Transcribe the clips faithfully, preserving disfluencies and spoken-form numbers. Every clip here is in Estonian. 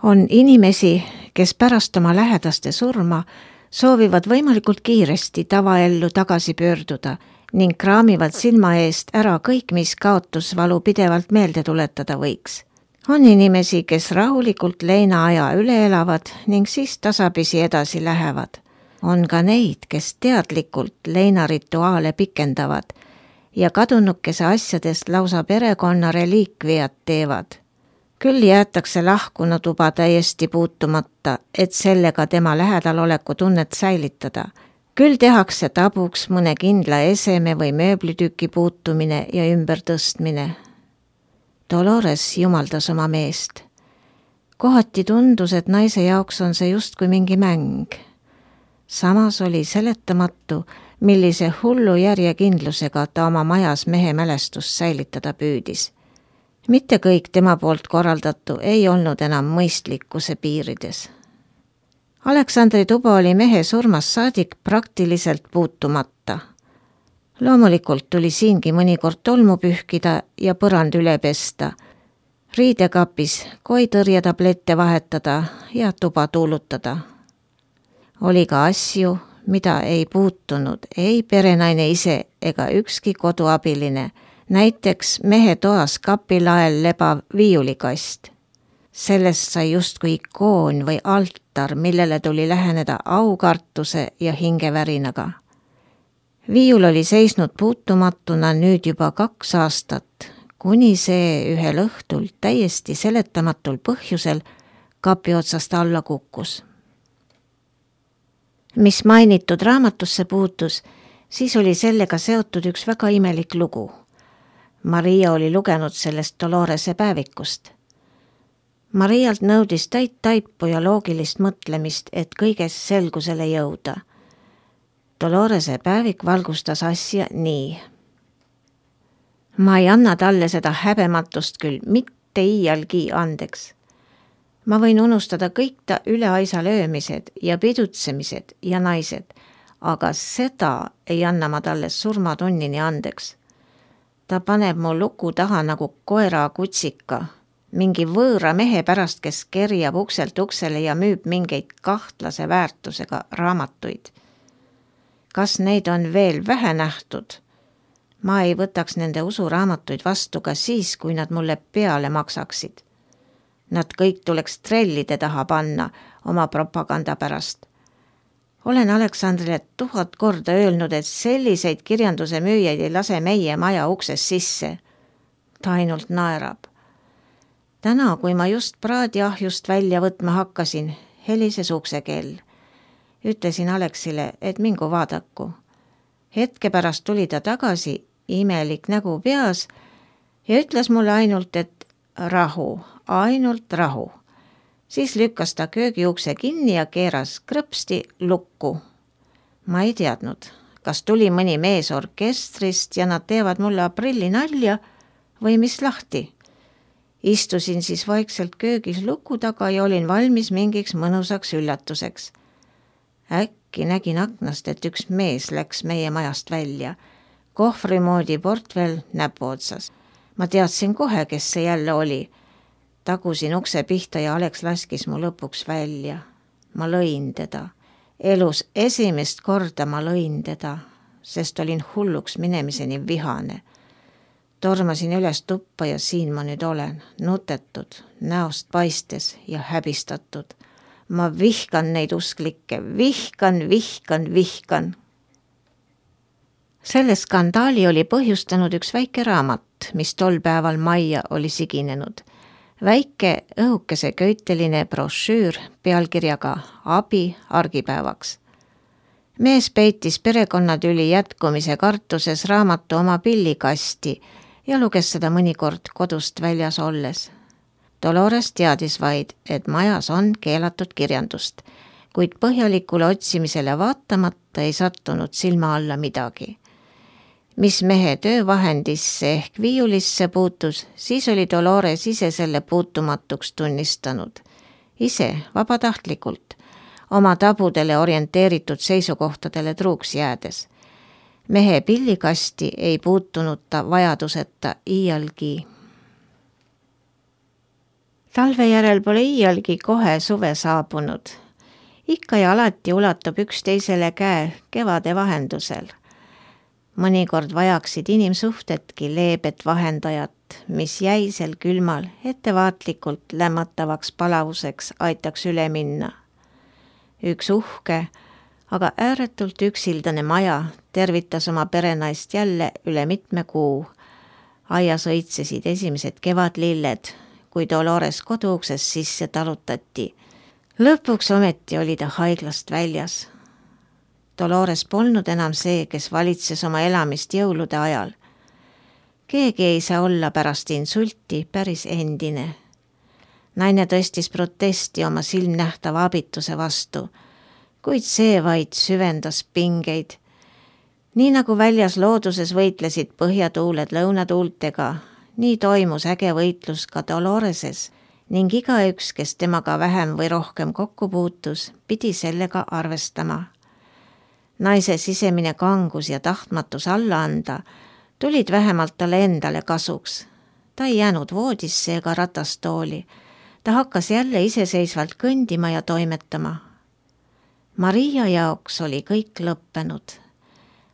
On inimesi, kes pärast oma lähedaste surma soovivad võimalikult kiiresti tavaellu tagasi pöörduda ning kraamivad silma eest ära kõik, mis kaotusvalu pidevalt meelde tuletada võiks. On inimesi, kes rahulikult leinaaja üle elavad ning siis tasapisi edasi lähevad. On ka neid, kes teadlikult leinarituaale pikendavad ja kadunukese asjadest lausa perekonna reliikviat teevad. Küll jäetakse lahkuna tuba täiesti puutumata, et sellega tema lähedaloleku tunnet säilitada. Küll tehakse tabuks mõne kindla eseme või mööblitüki puutumine ja ümbertõstmine. Dolores jumaldas oma meest. Kohati tundus, et naise jaoks on see just kui mingi mäng. Samas oli seletamatu, millise hullu järjekindlusega ta oma majas mehe mälestust säilitada püüdis. Mitte kõik tema poolt korraldatu ei olnud enam mõistlikkuse piirides. Aleksandri tuba oli mehe surmast saadik praktiliselt puutumata. Loomulikult tuli siingi mõnikord tolmu pühkida ja põrand üle pesta, riidekapis koitõrjetablette vahetada ja tuba tuulutada. Oli ka asju, mida ei puutunud ei perenaine ise ega ükski koduabiline, näiteks mehe toas kapilael lebav viiulikast. Sellest sai justkui ikoon või altar, millele tuli läheneda aukartuse ja hingevärinaga. Viiul oli seisnud puutumatuna nüüd juba kaks aastat, kuni see ühel õhtul täiesti seletamatul põhjusel kapi otsast alla kukkus. Mis mainitud raamatusse puutus, siis oli sellega seotud üks väga imelik lugu. Maria oli lugenud sellest Dolorese päevikust. Marialt nõudis täit taipu ja loogilist mõtlemist, et kõiges selgusele jõuda. Dolorese päevik valgustas asja nii. Ma ei anna talle seda häbematust küll mitte iialgi andeks. Ma võin unustada kõik ta üleaisa löömised ja pidutsemised ja naised, aga seda ei anna ma talle surmatunnini andeks. Ta paneb mu luku taha nagu koera kutsika, mingi võõra mehe pärast, kes kerjab ukselt uksele ja müüb mingeid kahtlase väärtusega raamatuid. Kas neid on veel vähe nähtud? Ma ei võtaks nende usuraamatuid vastu ka siis, kui nad mulle peale maksaksid. Nad kõik tuleks trellide taha panna oma propaganda pärast. Olen Aleksandrile tuhat korda öelnud, et selliseid kirjanduse müüjaid ei lase meie maja ukses sisse. Ta ainult naerab. Täna, kui ma just praadiahjust välja võtma hakkasin, helises uksekell. Ütlesin Aleksile, et mingu vaadaku. Hetke pärast tuli ta tagasi, imelik nägu peas, ja ütles mulle ainult, et rahu, ainult rahu. Siis lükkas ta köögiukse kinni ja keeras krõpsti lukku. Ma ei teadnud, kas tuli mõni mees orkestrist ja nad teevad mulle aprilli nalja või mis lahti. Istusin siis vaikselt köögis luku taga ja olin valmis mingiks mõnusaks üllatuseks. Äkki nägin aknast, et üks mees läks meie majast välja. Kohvrimoodi portvel näpu otsas. Ma teadsin kohe, kes see jälle oli. Tagusin ukse pihta ja Aleks laskis mu lõpuks välja. Ma lõin teda. Elus esimest korda ma lõin teda, sest olin hulluks minemiseni vihane. Tormasin üles tuppa ja siin ma nüüd olen, nutetud, näost paistes ja häbistatud. Ma vihkan neid usklikke, vihkan, vihkan, vihkan. Selle skandaali oli põhjustanud üks väike raamat, mis tol päeval majja oli siginenud. Väike õhukese köiteline brošüür pealkirjaga Abi argipäevaks. Mees peitis perekonnatüli jätkumise kartuses raamatu oma pillikasti ja luges seda mõnikord kodust väljas olles. Dolores teadis vaid, et majas on keelatud kirjandust, kuid põhjalikule otsimisele vaatamata ei sattunud silma alla midagi. Mis mehe töövahendisse ehk viiulisse puutus, siis oli Dolores ise selle puutumatuks tunnistanud. Ise, vabatahtlikult, oma tabudele orienteeritud seisukohtadele truuks jäädes. Mehe pillikasti ei puutunud ta vajaduseta iialgi. Talve järel pole iialgi kohe suve saabunud. Ikka ja alati ulatub üksteisele käe kevade vahendusel. Mõnikord vajaksid inimsuhtedki leebet vahendajat, mis jäisel külmal ettevaatlikult lämmatavaks palavuseks aitaks üle minna. Üks uhke, aga ääretult üksildane maja tervitas oma perenaist jälle üle mitme kuu. Aias õitsesid esimesed kevadlilled, kui Dolores koduukses sisse talutati. Lõpuks ometi oli ta haiglast väljas. Dolores polnud enam see, kes valitses oma elamist jõulude ajal. Keegi ei saa olla pärast insulti päris endine. Naine tõstis protesti oma silmnähtava abituse vastu, kuid see vaid süvendas pingeid. Nii nagu väljas looduses võitlesid põhjatuuled lõunatuultega, nii toimus äge võitlus ka Doloreses ning igaüks, kes temaga vähem või rohkem kokku puutus, pidi sellega arvestama. Naise sisemine kangus ja tahtmatus alla anda tulid vähemalt talle endale kasuks. Ta ei jäänud voodisse ega ratastooli. Ta hakkas jälle iseseisvalt kõndima ja toimetama. Maria jaoks oli kõik lõppenud.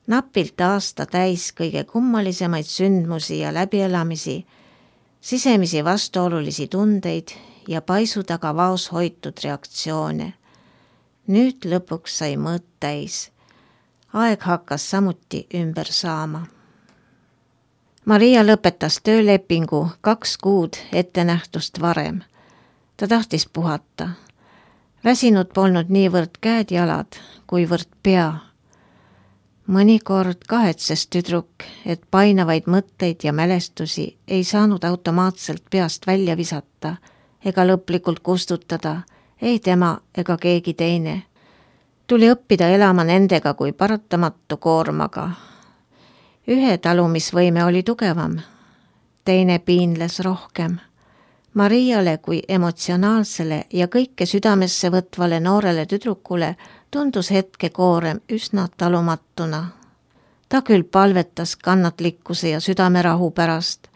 Napilt aasta täis kõige kummalisemaid sündmusi ja läbielamisi, sisemisi vastuolulisi tundeid ja paisu taga vaos hoitud reaktsioone. Nüüd lõpuks sai mõõt täis. Aeg hakkas samuti ümber saama. Maria lõpetas töölepingu kaks kuud ettenähtust varem. Ta tahtis puhata. Väsinud polnud niivõrd käed-jalad, kuivõrd pea. Mõnikord kahetses tüdruk, et painavaid mõtteid ja mälestusi ei saanud automaatselt peast välja visata ega lõplikult kustutada, ei tema ega keegi teine. Tuli õppida elama nendega kui paratamatu koormaga. Ühe talumisvõime oli tugevam, teine piinles rohkem. Mariale kui emotsionaalsele ja kõike südamesse võtvale noorele tüdrukule tundus hetke koorem üsna talumatuna. Ta küll palvetas kannatlikkuse ja südamerahu pärast,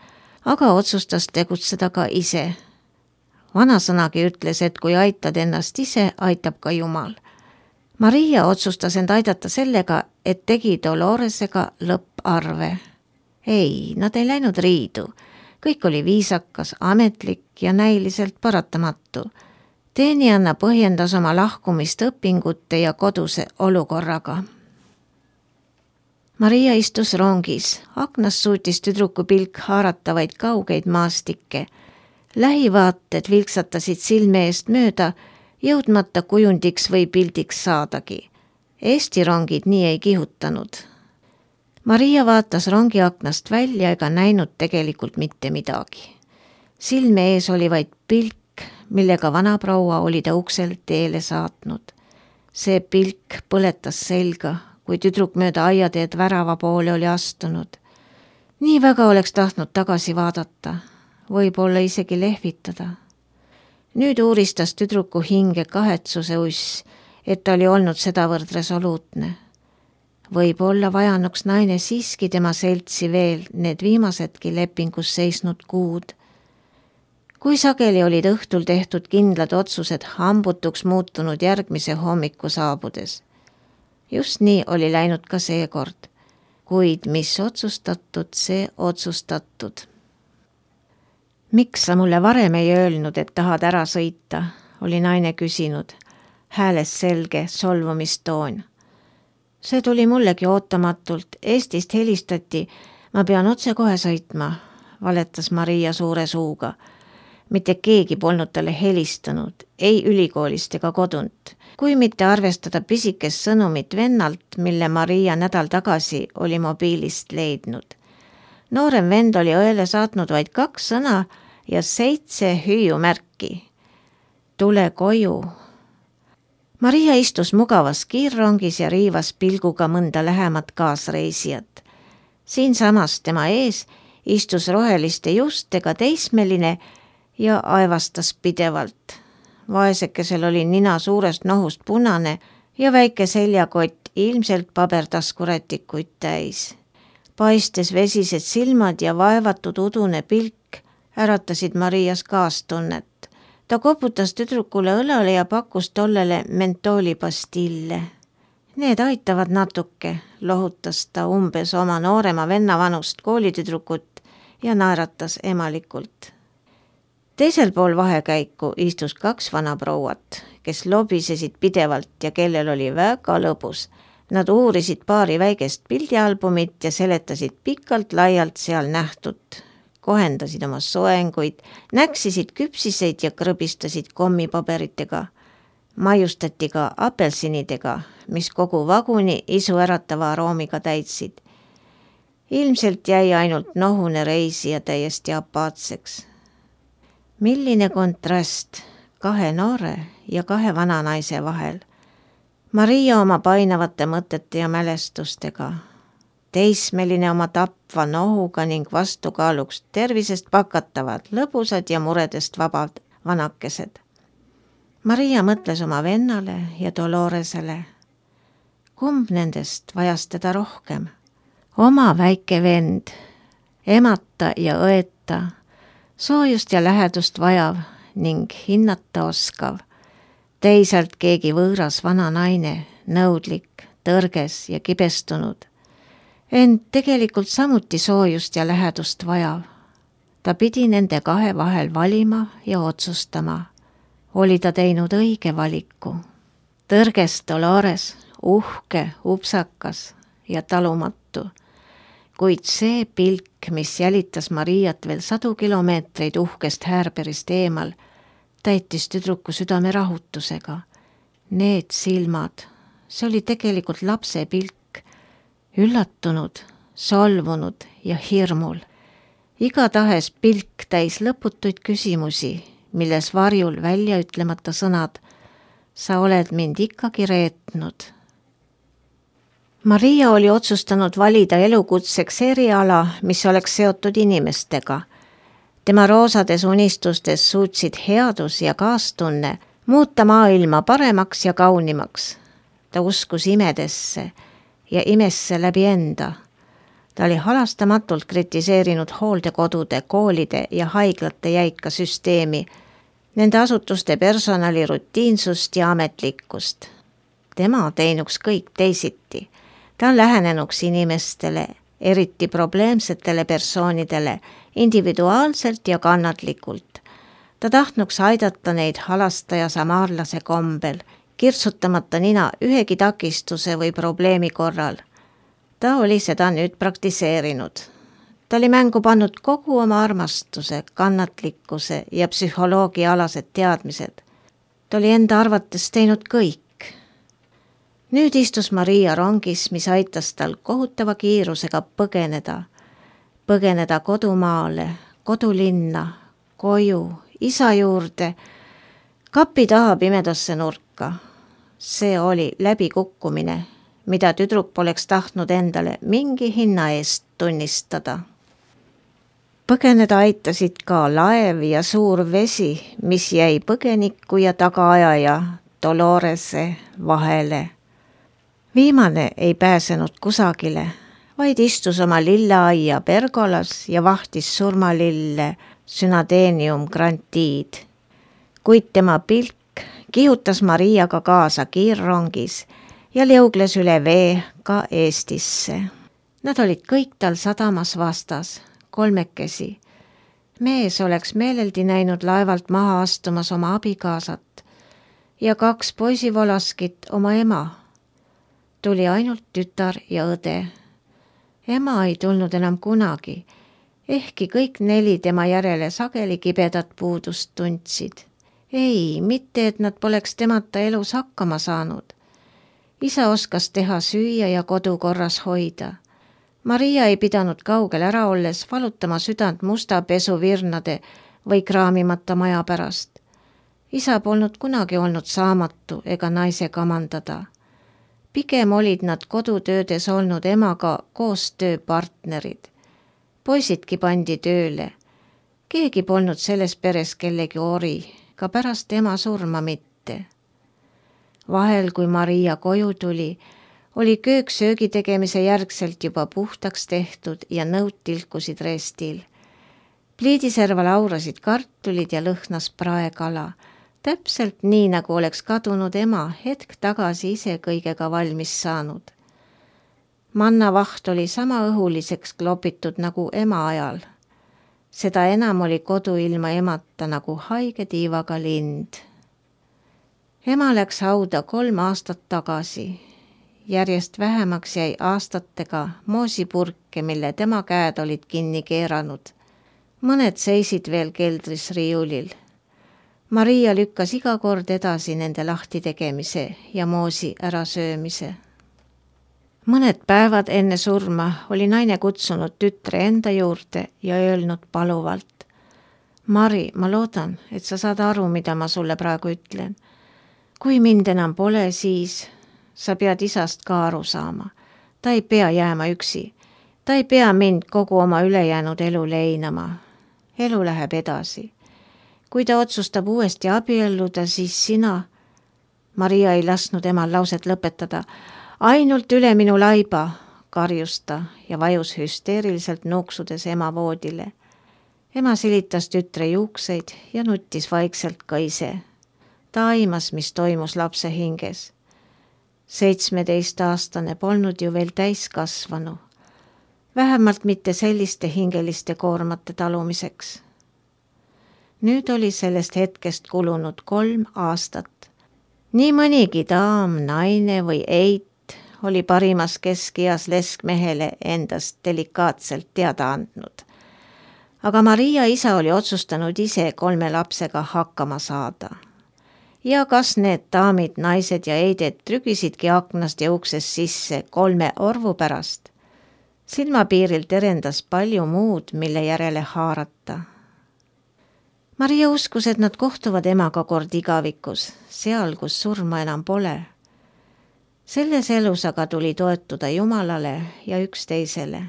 aga otsustas tegutseda ka ise. Vanasõnagi ütles, et kui aitad ennast ise, aitab ka Jumal. Maria otsustas end aidata sellega, et tegi Doloresega lõpparve. Ei, nad ei läinud riidu. Kõik oli viisakas, ametlik ja näiliselt paratamatu. Teenijanna põhjendas oma lahkumist õpingute ja koduse olukorraga. Maria istus rongis. Aknas suutis tüdruku pilk haarata vaid kaugeid maastikke. Lähivaated vilksatasid silme eest mööda, jõudmata kujundiks või pildiks saadagi. Eesti rongid nii ei kihutanud. Maria vaatas rongi aknast välja ega näinud tegelikult mitte midagi. Silme ees oli vaid pilk, millega vanaproua oli ta uksel teele saatnud. See pilk põletas selga, kui tüdruk mööda aiateed värava poole oli astunud. Nii väga oleks tahtnud tagasi vaadata, võib-olla isegi lehvitada. Nüüd uuristas tüdruku hinge kahetsuse uss, et ta oli olnud sedavõrd resoluutne. Võib-olla vajanuks naine siiski tema seltsi veel need viimasedki lepingus seisnud kuud. Kui sageli olid õhtul tehtud kindlad otsused hambutuks muutunud järgmise hommiku saabudes. Just nii oli läinud ka seekord, kuid mis otsustatud, see otsustatud. Miks sa mulle varem ei öelnud, et tahad ära sõita, oli naine küsinud, hääles selge solvumistoon. See tuli mullegi ootamatult, Eestist helistati, ma pean otse kohe sõitma, valetas Maria suure suuga. Mitte keegi polnud talle helistanud, ei ülikoolist ega kodunt, kui mitte arvestada pisikest sõnumit vennalt, mille Maria nädal tagasi oli mobiilist leidnud. Noorem vend oli õele saatnud vaid kaks sõna ja seitse hüüumärki. Tule koju. Maria istus mugavas kiirrongis ja riivas pilguga mõnda lähemat kaasreisijat. Siinsamas tema ees istus roheliste justega teismeline ja aevastas pidevalt. Vaesekesel oli nina suurest nohust punane ja väike seljakott ilmselt pabertaskurätikuid täis. Paistes vesised silmad ja vaevatud udune pilk äratasid Marias kaastunnet. Ta koputas tüdrukule õlale ja pakkus tollele mentoolipastille. Need aitavad natuke, lohutas ta umbes oma noorema venna vanust koolitüdrukut ja naeratas emalikult. Teisel pool vahekäiku istus kaks vanaprouat, kes lobisesid pidevalt ja kellel oli väga lõbus. Nad uurisid paari väikest pildialbumit ja seletasid pikalt laialt seal nähtut. Kohendasid oma soenguid, näksisid küpsiseid ja krõbistasid kommipaberitega. Maiustati ka apelsinidega, mis kogu vaguni isu äratava aroomiga täitsid. Ilmselt jäi ainult nohune reisija täiesti apaatseks. Milline kontrast kahe noore ja kahe vana naise vahel. Maria oma painavate mõtete ja mälestustega. Teismeline oma tapva nohuga ning vastukaaluks tervisest pakatavad, lõbusad ja muredest vabad vanakesed. Maria mõtles oma vennale ja Doloresele. Kumb nendest vajas teda rohkem? Oma väike vend, emata ja õeta, soojust ja lähedust vajav ning hinnata oskav. Teisalt keegi võõras vana naine, nõudlik, tõrges ja kibestunud. Ent tegelikult samuti soojust ja lähedust vajav. Ta pidi nende kahe vahel valima ja otsustama. Oli ta teinud õige valiku. Tõrges Dolores, uhke, upsakas ja talumatu. Kuid see pilk, mis jälitas Mariat veel sadu kilomeetreid uhkest häärberist eemal, täitis tüdruku südame rahutusega. Need silmad, see oli tegelikult lapse pilk, üllatunud, solvunud ja hirmul. Igatahes pilk täis lõputuid küsimusi, milles varjul välja ütlemata sõnad, sa oled mind ikkagi reetnud. Maria oli otsustanud valida elukutseks eriala, mis oleks seotud inimestega. Tema roosades unistustes suutsid headus ja kaastunne muuta maailma paremaks ja kaunimaks. Ta uskus imedesse ja imesse läbi enda. Ta oli halastamatult kritiseerinud hooldekodude, koolide ja haiglate jäika süsteemi, nende asutuste personali rutiinsust ja ametlikkust. Tema teinuks kõik teisiti. Ta on lähenenuks inimestele, eriti probleemsetele persoonidele, individuaalselt ja kannatlikult. Ta tahtnuks aidata neid halastaja samaarlase kombel, kirtsutamata nina ühegi takistuse või probleemi korral. Ta oli seda nüüd praktiseerinud. Ta oli mängu pannud kogu oma armastuse, kannatlikkuse ja psühholoogiaalased teadmised. Ta oli enda arvates teinud kõik. Nüüd istus Maria rongis, mis aitas tal kohutava kiirusega põgeneda. Põgeneda kodumaale, kodulinna, koju, isa juurde, kapi taha pimedasse nurka. See oli läbikukkumine, mida tüdruk poleks tahtnud endale mingi hinna eest tunnistada. Põgeneda aitasid ka laev ja suur vesi, mis jäi põgeniku ja tagaajaja Dolorese vahele. Viimane ei pääsenud kusagile, vaid istus oma lilleaia pergolas ja vahtis surmalille Synadenium grantid. Kuid tema pilk kihutas Mariaga kaasa kiirrongis ja liugles üle vee ka Eestisse. Nad olid kõik tal sadamas vastas, kolmekesi. Mees oleks meeleldi näinud laevalt maha astumas oma abikaasat ja kaks poisivolaskit oma ema. Tuli ainult tütar ja õde. Ema ei tulnud enam kunagi, ehkki kõik neli tema järele sageli kibedat puudust tundsid. Ei, mitte et nad poleks temata elus hakkama saanud. Isa oskas teha süüa ja kodu korras hoida. Maria ei pidanud kaugel ära olles valutama südant musta pesuvirnade või kraamimata maja pärast. Isa polnud kunagi olnud saamatu ega naise kamandada. Pigem olid nad kodutöödes olnud emaga koostööpartnerid. Poisidki pandi tööle. Keegi polnud selles peres kellegi ori, ka pärast ema surma mitte. Vahel, kui Maria koju tuli, oli köök söögi tegemise järgselt juba puhtaks tehtud ja nõud tilkusid restil. Pliidiserval aurasid kartulid ja lõhnas praekala, täpselt nii, nagu oleks kadunud ema hetk tagasi ise kõigega valmis saanud. Mannavaht oli sama õhuliseks klopitud nagu ema ajal. Seda enam oli kodu ilma emata nagu haige tiivaga lind. Ema läks hauda kolm aastat tagasi. Järjest vähemaks jäi aastatega moosipurke, mille tema käed olid kinni keeranud. Mõned seisid veel keldris riiulil. Maria lükkas iga kord edasi nende lahti tegemise ja moosi ärasöömise. Mõned päevad enne surma oli naine kutsunud tütre enda juurde ja öelnud paluvalt. Mari, ma loodan, et sa saad aru, mida ma sulle praegu ütlen. Kui mind enam pole, siis sa pead isast ka aru saama. Ta ei pea jääma üksi. Ta ei pea mind kogu oma ülejäänud elu leinama. Elu läheb edasi. Kui ta otsustab uuesti abielluda, siis sina... Maria ei lasknud emal lauset lõpetada. Ainult üle minu laiba, karjus ta ja vajus hüsteeriliselt nuksudes ema voodile. Ema silitas tütre juukseid ja nuttis vaikselt ka ise. Ta aimas, mis toimus lapse hinges. Seitsmeteistaastane polnud ju veel täiskasvanu. Vähemalt mitte selliste hingeliste koormate talumiseks. Nüüd oli sellest hetkest kulunud kolm aastat. Nii mõnigi daam, naine või eit oli parimas keskias leskmehele endast delikaatselt teada andnud. Aga Maria isa oli otsustanud ise kolme lapsega hakkama saada. Ja kas need daamid, naised ja eided trügisidki aknast ja uksest sisse kolme orvu pärast? Silmapiiril terendas palju muud, mille järele haarata. Maria uskus, et nad kohtuvad emaga kord igavikus, seal, kus surma enam pole. Selles elus aga tuli toetuda Jumalale ja üksteisele.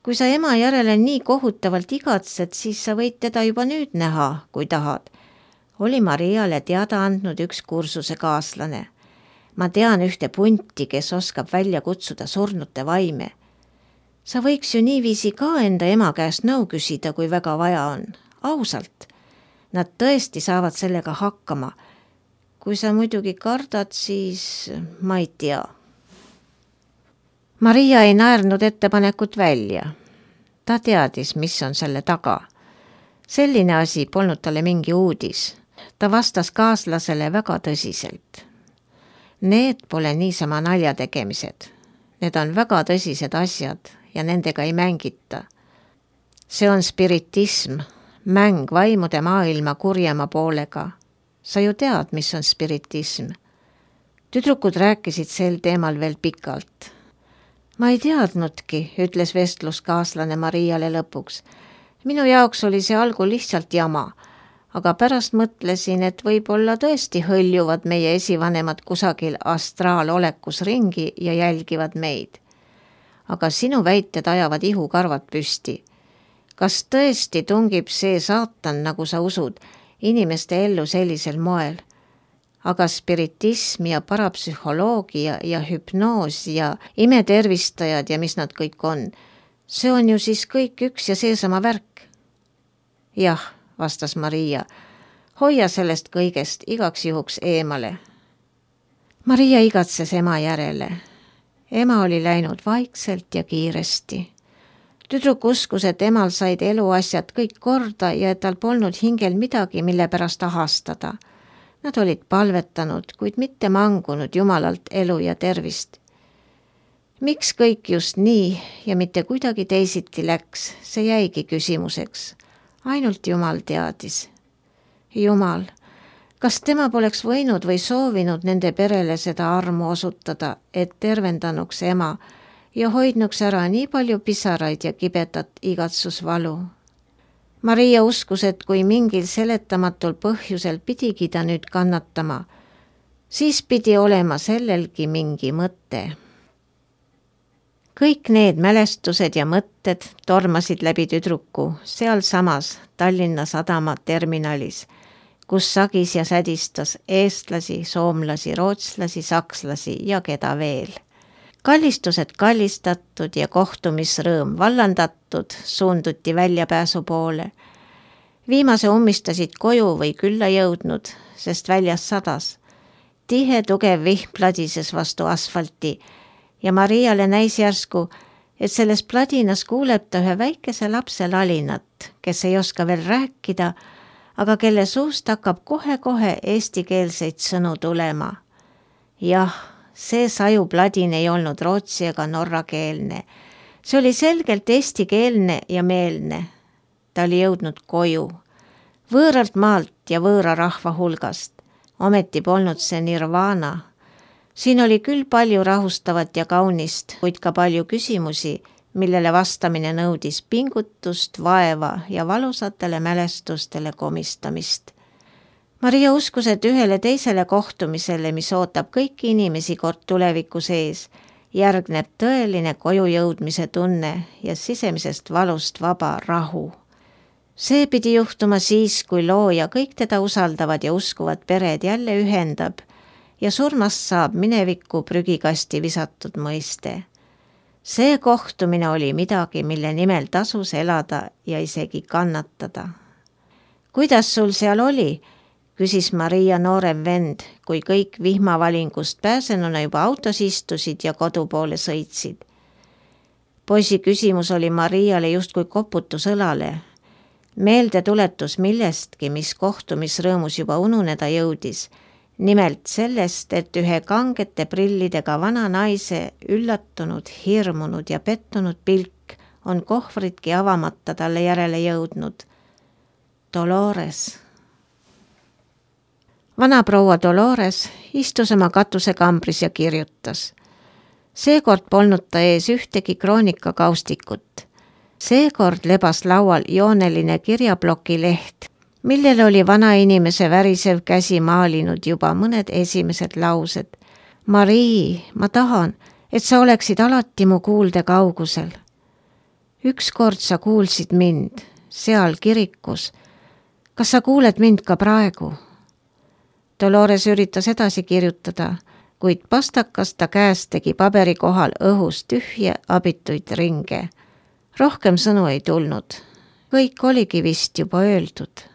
Kui sa ema järele nii kohutavalt igatsed, siis sa võid teda juba nüüd näha, kui tahad. Oli Mariale teada andnud üks kursuse kaaslane. Ma tean ühte punti, kes oskab välja kutsuda surnute vaime. Sa võiks ju niiviisi ka enda ema käest nõu küsida, kui väga vaja on. Ausalt. Nad tõesti saavad sellega hakkama. Kui sa muidugi kardad, siis ma ei tea. Maria ei naernud ettepanekut välja. Ta teadis, mis on selle taga. Selline asi polnud talle mingi uudis. Ta vastas kaaslasele väga tõsiselt. Need pole niisama nalja tegemised. Need on väga tõsised asjad ja nendega ei mängita. See on spiritism, mäng vaimude maailma kurjema poolega. Sa ju tead, mis on spiritism. Tüdrukud rääkisid sel teemal veel pikalt. Ma ei teadnudki, ütles vestluskaaslane Mariale lõpuks. Minu jaoks oli see algul lihtsalt jama, aga pärast mõtlesin, et võib-olla tõesti hõljuvad meie esivanemad kusagil astraalolekus ringi ja jälgivad meid. Aga sinu väited ajavad ihukarvad püsti. Kas tõesti tungib see saatan, nagu sa usud, inimeste ellu sellisel moel? Aga spiritism ja parapsühholoogia ja hüpnoos ja imetervistajad ja mis nad kõik on, see on ju siis kõik üks ja seesama värk. Jah, vastas Maria, hoia sellest kõigest igaks juhuks eemale. Maria igatses ema järele. Ema oli läinud vaikselt ja kiiresti. Tüdruk uskus, et emal said eluasjad kõik korda ja et tal polnud hingel midagi, mille pärast ahastada. Nad olid palvetanud, kuid mitte mangunud Jumalalt elu ja tervist. Miks kõik just nii ja mitte kuidagi teisiti läks, see jäigi küsimuseks. Ainult Jumal teadis. Jumal, kas tema poleks võinud või soovinud nende perele seda armu osutada, et tervendanuks ema ja hoidnuks ära nii palju pisaraid ja kibedat igatsusvalu? Maria uskus, et kui mingil seletamatul põhjusel pidigi ta nüüd kannatama, siis pidi olema sellelgi mingi mõte. Kõik need mälestused ja mõtted tormasid läbi tüdruku seal samas Tallinna Sadama terminalis, kus sagis ja sädistas eestlasi, soomlasi, rootslasi, sakslasi ja keda veel. kallistused kallistatud ja kohtumisrõõm vallandatud, suunduti väljapääsu poole. Viimase ummistasid koju või külla jõudnud, sest väljas sadas. Tihe tugev vihm pladises vastu asfalti ja Mariale näis järsku, et selles pladinas kuuleb ta ühe väikese lapse lalinat, kes ei oska veel rääkida, aga kelle suust hakkab kohe-kohe eestikeelseid sõnu tulema. Jah, see sajupladin ei olnud rootsi ega norrakeelne. See oli selgelt eestikeelne ja meelne. Ta oli jõudnud koju, võõralt maalt ja võõra rahva hulgast. Ometi polnud see nirvana. Siin oli küll palju rahustavat ja kaunist, kuid ka palju küsimusi, millele vastamine nõudis pingutust, vaeva ja valusatele mälestustele komistamist. Maria uskus, et ühele teisele kohtumisele, mis ootab kõiki inimesi kord tuleviku sees, järgneb tõeline koju jõudmise tunne ja sisemisest valust vaba rahu. See pidi juhtuma siis, kui looja kõik teda usaldavad ja uskuvad pered jälle ühendab ja surmast saab minevikku prügikasti visatud mõiste. See kohtumine oli midagi, mille nimel tasus elada ja isegi kannatada. Kuidas sul seal oli? Küsis Maria noorem vend, kui kõik vihmavalingust pääsenuna juba autos istusid ja kodu poole sõitsid. Poisi küsimus oli Mariale justkui koputus õlale. Meelde tuletus millestki, mis kohtumisrõõmus juba ununeda jõudis. Nimelt sellest, et ühe kangete prillidega vana naise üllatunud, hirmunud ja pettunud pilk on kohvritki avamata talle järele jõudnud. Dolores. Vana proua Dolores istus oma katusekambris ja kirjutas. Seekord polnud ta ees ühtegi kroonikakaustikut. Seekord lebas laual jooneline kirjaploki leht, millele oli vana inimese värisev käsi maalinud juba mõned esimesed laused. Marii, ma tahan, et sa oleksid alati mu kuulde kaugusel. Ükskord sa kuulsid mind, seal kirikus. Kas sa kuuled mind ka praegu? Dolores üritas edasi kirjutada, kuid pastakas ta käest tegi paberi kohal õhus tühje abituid ringe. Rohkem sõnu ei tulnud. Kõik oligi vist juba öeldud.